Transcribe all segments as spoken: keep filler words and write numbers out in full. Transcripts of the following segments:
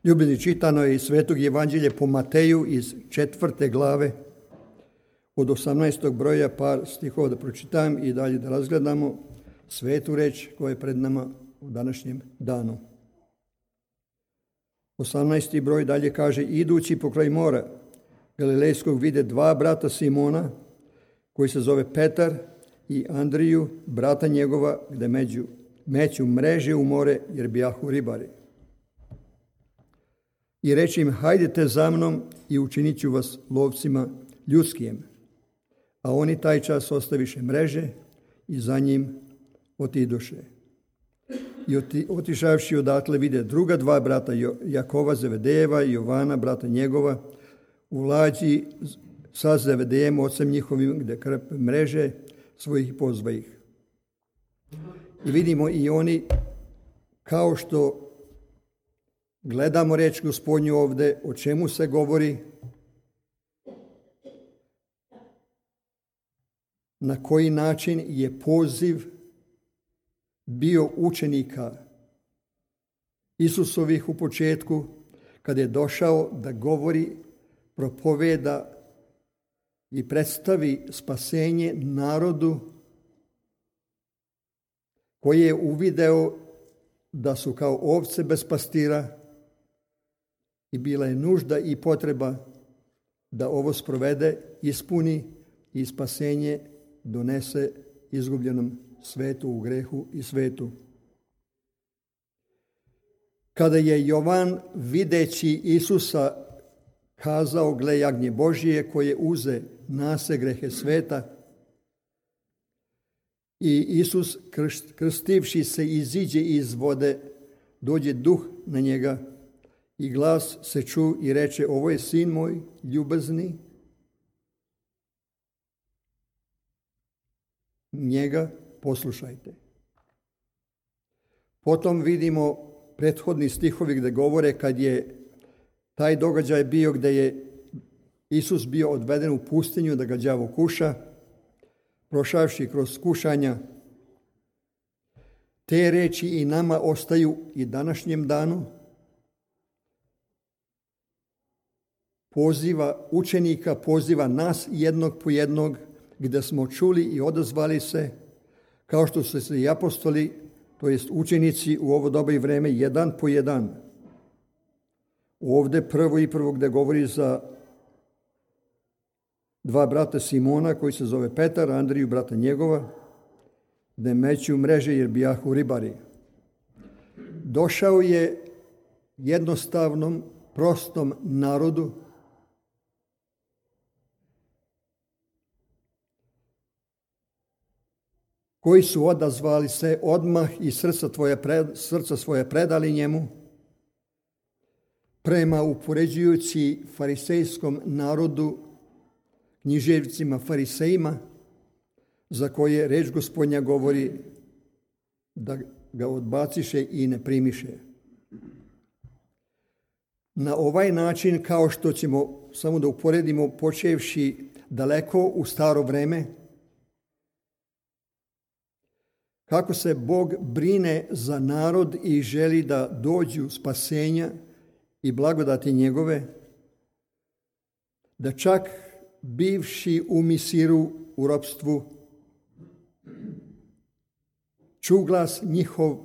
Ljubljeni, čitano je iz Svetog Evanđelja po Mateju iz četvrte glave, od osamnaestog broja, par stihova da pročitam i dalje da razgledamo svetu reč koja je pred nama u današnjem danu. osamnaesti broj dalje kaže: idući pokraj mora Galilejskog vide dva brata Simona, koji se zove Petar i Andriju, brata njegova, gde među, meću mreže u more, jer bijahu ribari. I reče im: hajdete za mnom i učinit ću vas lovcima ljudskim. A oni taj čas ostaviše mreže i za njim otidoše. I oti, otišavši odatle vide druga dva brata, Jakova Zevedejeva i Jovana, brata njegova, u lađi sa Zevedejem, ocem njihovim, gde krpe mreže svojih, pozva ih. I vidimo i oni, kao što gledamo reč Gospodnju ovde, o čemu se govori, na koji način je poziv bio učenika Isusovih u početku, kada je došao da govori, propoveda i predstavi spasenje narodu koji je uvideo da su kao ovce bez pastira i bila je nužda i potreba da ovo sprovede, ispuni i spasenje donese izgubljenom svetu, u grehu i svetu. Kada je Jovan, videći Isusa, kazao: gle, jagnje Božije koje uze nase grehe sveta, i Isus, krstivši se, iziđe iz vode, dođe duh na njega i glas se ču i reče: ovo je sin moj ljubazni, njega poslušajte. Potom vidimo prethodni stihovi gde govore kad je taj događaj bio, gde je Isus bio odveden u pustinju da ga đavo kuša, prošavši kroz kušanja. Te reči i nama ostaju i današnjem danu. Poziva učenika, poziva nas jednog po jednog, gde smo čuli i odazvali se, kao što su se i apostoli, to jest učenici u ovo doba i vreme, jedan po jedan. Ovde prvo i prvo gde govori za dva brata Simona, koji se zove Petar, Andriju, brata njegova, gde meću mreže jer bijahu ribari. Došao je jednostavnom, prostom narodu, koji su odazvali se odmah i srca, tvoje, srca svoje predali njemu, prema upoređujući farisejskom narodu, književnicima farisejima, za koje reč Gospodnja govori da ga odbaciše i ne primiše. Na ovaj način, kao što ćemo samo da uporedimo, počevši daleko u staro vreme, kako se Bog brine za narod i želi da dođu spasenja i blagodati njegove, da čak bivši u Misiru, u ropstvu, ču glas njihov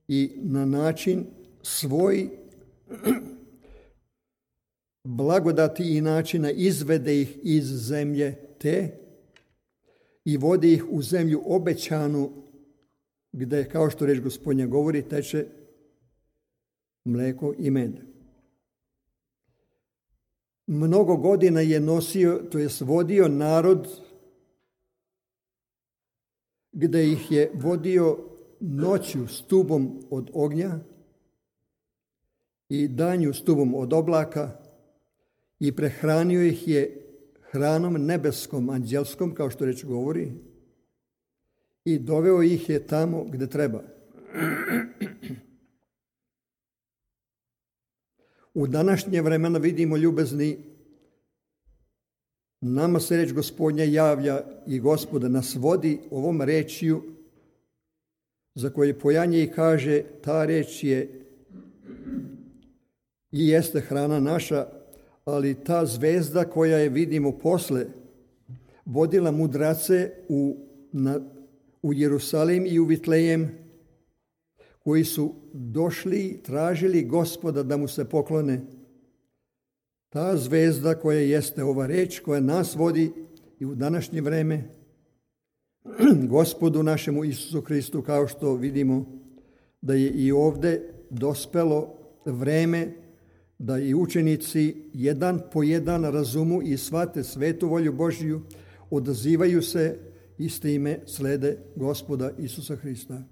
i na način svoj blagodati i načina izvede ih iz zemlje te i vode ih u zemlju obećanu, gde, kao što reč Gospodnja govori, teče mleko i med. Mnogo godina je nosio, to jest vodio narod, gde ih je vodio noću stubom od ognja i danju stubom od oblaka i prehranio ih je hranom nebeskom, anđelskom, kao što reč govori, i doveo ih je tamo gde treba. U današnje vremena vidimo, ljubezni, nama se reč Gospodnja javlja i Gospoda nas vodi ovom rečju, za koje pojanje i kaže: ta reč je i jeste hrana naša, ali ta zvezda koja je vidimo posle vodila mudrace u, na, u Jerusalim i u Vitlejem, koji su došli, tražili Gospoda da mu se poklone. Ta zvezda koja jeste ova reč, koja nas vodi i u današnje vreme, Gospodu našemu Isusu Hristu, kao što vidimo da je i ovde dospelo vreme da i učenici jedan po jedan razumu i shvate svetu volju Božiju, odazivaju se i s time slede Gospoda Isusa Hrista.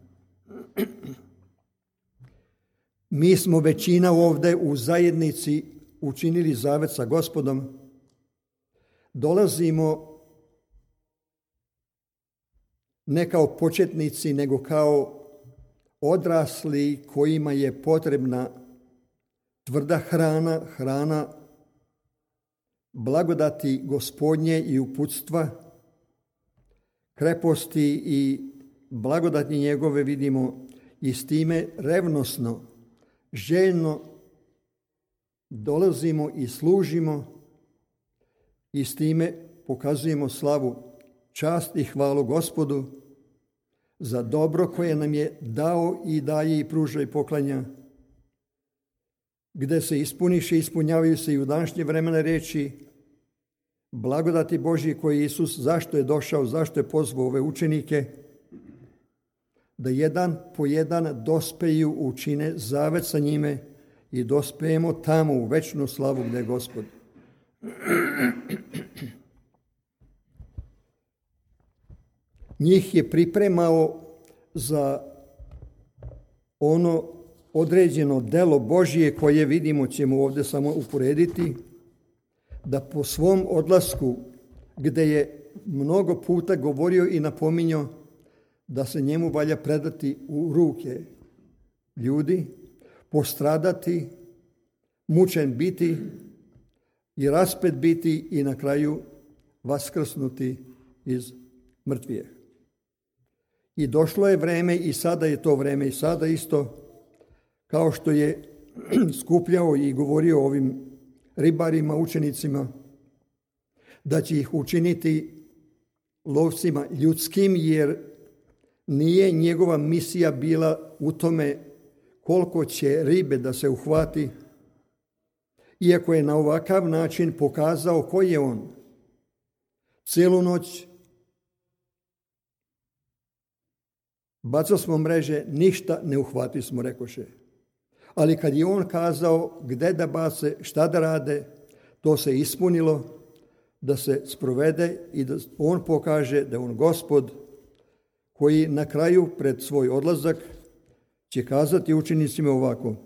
Mi smo većina ovde u zajednici učinili zavet sa Gospodom. Dolazimo ne kao početnici, nego kao odrasli kojima je potrebna tvrda hrana, hrana blagodati Gospodnje i uputstva, kreposti i blagodati njegove vidimo i s time revnosno, željno dolazimo i služimo i s time pokazujemo slavu, čast i hvalu Gospodu za dobro koje nam je dao i daje i pruža i poklanja, gde se ispuniše i ispunjavaju se i u današnje vremena reči blagodati Božji koji Isus, zašto je došao, zašto je pozvao ove učenike, da jedan po jedan dospeju učine zavet sa njime i dospejemo tamo u večnu slavu gde je Gospod. Njih je pripremao za ono određeno delo Božije koje vidimo, ćemo ovdje samo uporediti, da po svom odlasku, gde je mnogo puta govorio i napominjao da se njemu valja predati u ruke ljudi, postradati, mučen biti i raspet biti i na kraju vaskrsnuti iz mrtvijeh. I došlo je vreme i sada je to vreme i sada isto, kao što je skupljao i govorio ovim ribarima, učenicima, da će ih učiniti lovcima ljudskim, jer nije njegova misija bila u tome koliko će ribe da se uhvati, iako je na ovakav način pokazao ko je on. Celu noć bacali smo mreže, ništa ne uhvati smo, rekoše. Ali kad je on kazao gde da bace, šta da rade, to se ispunilo, da se sprovede i da on pokaže da je on Gospod, koji na kraju pred svoj odlazak će kazati učenicima ovako: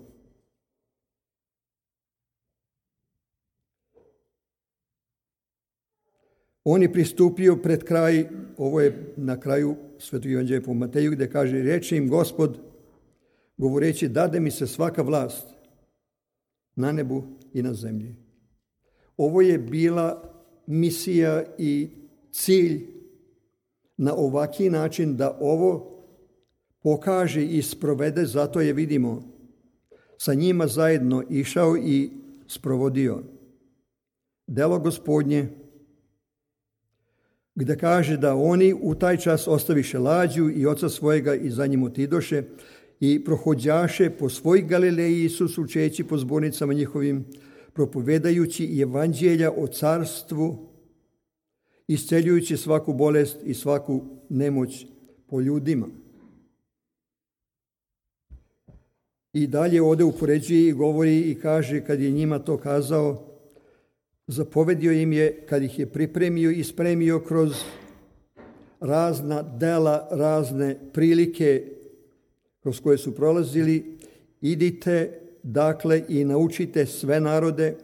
on je pristupio pred kraj, ovo je na kraju Svetog evanđelja po Mateju, gde kaže: reče im Gospod, govoreći, dade mi se svaka vlast na nebu i na zemlji. Ovo je bila misija i cilj na ovaki način da ovo pokaže i sprovede, zato je vidimo sa njima zajedno išao i sprovodio delo Gospodnje, gde kaže da oni u taj čas ostaviše lađu i oca svojega i za njim otidoše i prohođaše po svoj Galileji, Isus učeći po zbornicama njihovim, propovedajući evanđelja o carstvu, isceljujući svaku bolest i svaku nemoć po ljudima. I dalje ovdje upoređuje i govori i kaže, kad je njima to kazao, zapovedio im je, kad ih je pripremio i spremio kroz razna dela, razne prilike kroz koje su prolazili: idite dakle i naučite sve narode,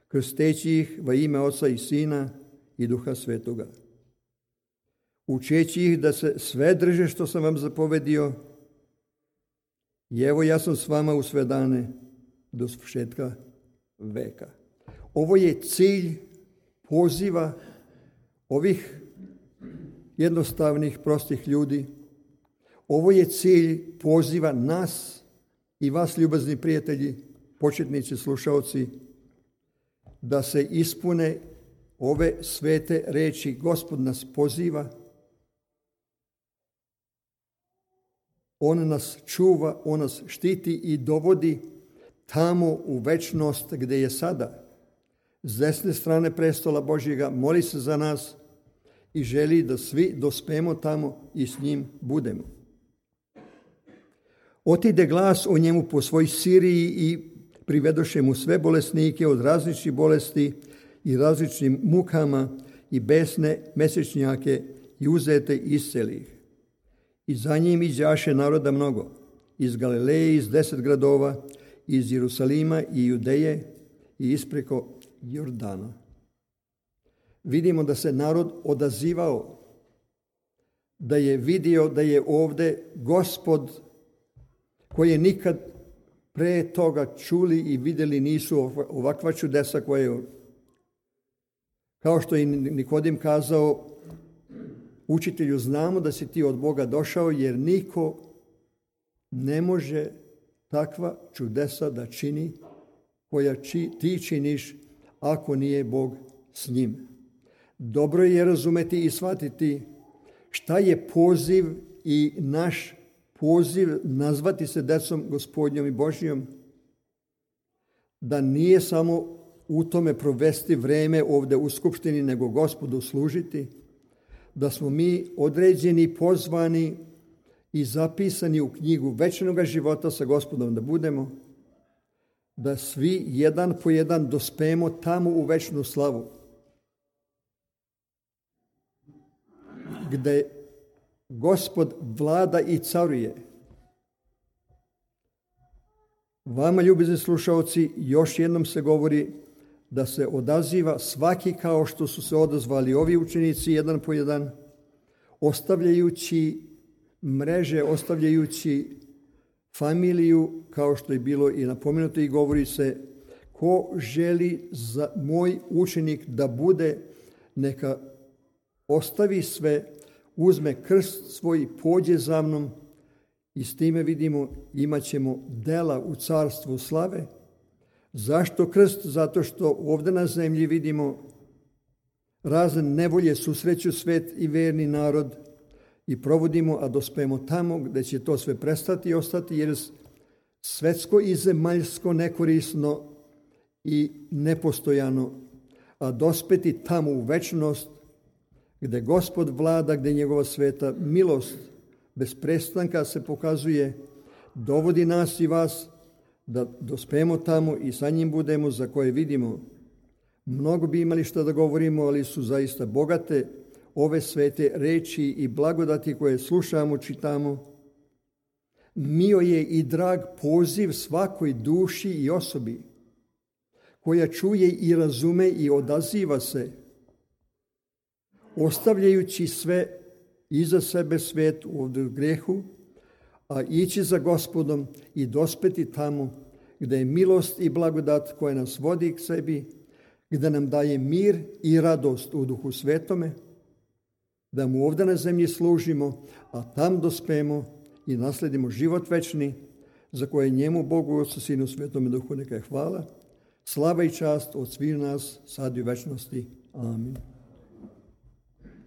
krsteći ih va ime Oca i Sina i Duha Svetoga, učeći ih da se sve drže što sam vam zapovedio, i evo ja sam s vama u sve dane do svršetka veka. Ovo je cilj poziva ovih jednostavnih, prostih ljudi. Ovo je cilj poziva nas i vas, ljubazni prijatelji, početnici, slušaoci, da se ispune ove svete reči. Gospod nas poziva, on nas čuva, on nas štiti i dovodi tamo u večnost gdje je sada. S desne strane prestola Božjega moli se za nas i želi da svi dospemo tamo i s njim budemo. Otide glas o njemu po svoj Siriji i privedoše mu sve bolesnike od različitih bolesti i različitim mukama i besne mesečnjake i uzete isceli ih. I za njim izaše naroda mnogo, iz Galileje, iz deset gradova, iz Jerusalima i Judeje i ispreko Jordana. Vidimo da se narod odazivao, da je vidio da je ovdje Gospod koji je nikad pre toga čuli i vidjeli nisu ovakva čudesa koje, kao što je Nikodim kazao, učitelju, znamo da si ti od Boga došao, jer niko ne može takva čudesa da čini koja či, ti činiš ako nije Bog s njim. Dobro je razumeti i shvatiti šta je poziv i naš poziv nazvati se decom Gospodnjom i Božjom, da nije samo u tome provesti vreme ovdje u skupštini, nego Gospodu služiti, da smo mi određeni, pozvani i zapisani u knjigu večnog života sa Gospodom da budemo, da svi jedan po jedan dospemo tamo u večnu slavu, gdje Gospod vlada i caruje. Vama, ljubizni slušaoci, još jednom se govori da se odaziva svaki kao što su se odazvali ovi učenici jedan po jedan, ostavljajući mreže, ostavljajući familiju, kao što je bilo i napomenuto i govori se, ko želi za moj učenik da bude, neka ostavi sve, uzme krst svoj i pođe za mnom, i s time vidimo imat ćemo dela u carstvu slave. Zašto krst? Zato što ovdje na zemlji vidimo razne nevolje, susreću svet i verni narod i provodimo, a dospemo tamo gdje će to sve prestati i ostati, jer svetsko i zemaljsko nekorisno i nepostojano, a dospeti tamo u večnost gdje Gospod vlada, gdje njegova sveta milost bez prestanka se pokazuje, dovodi nas i vas da dospemo tamo i sa njim budemo, za koje vidimo. Mnogo bi imali što da govorimo, ali su zaista bogate ove svete reči i blagodati koje slušamo, čitamo. Mio je i drag poziv svakoj duši i osobi koja čuje i razume i odaziva se, ostavljajući sve iza sebe svet ovdje u grehu, a ići za Gospodom i dospeti tamo gdje je milost i blagodat koja nas vodi k sebi, gdje nam daje mir i radost u Duhu Svetome, da mu ovdje na zemlji služimo, a tam dospemo i nasledimo život večni, za koje njemu, Bogu, Otcu, Sinu, Svetome Duhu, neka je hvala, slava i čast od svih nas, sad i u večnosti. Amin.